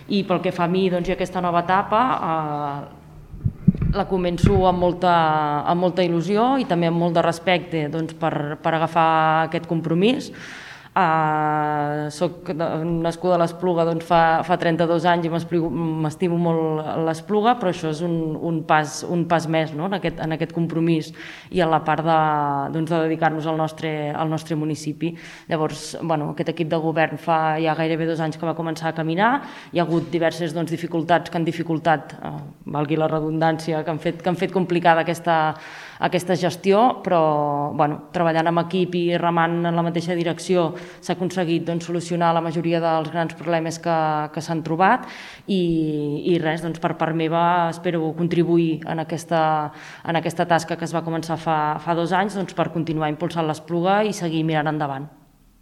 I pel que fa a mi i aquesta nova etapa, la començo amb molta il·lusió i també amb molt de respecte per agafar aquest compromís. Soc nascuda a l'Espluga fa 32 anys i m'estimo molt l'Espluga, però això és un pas més en aquest compromís i a la part de dedicar-nos al nostre municipi. Llavors, aquest equip de govern fa ja gairebé 2 anys que va començar a caminar, hi ha hagut diverses dificultats que han dificultat, valgui la redundància, que han fet complicada aquesta gestió, però treballant amb equip i remant en la mateixa direcció s'ha aconseguit solucionar la majoria dels grans problemes que s'han trobat i res, per part meva espero contribuir en aquesta tasca que es va començar fa 2 anys per continuar impulsant l'Espluga i seguir mirant endavant.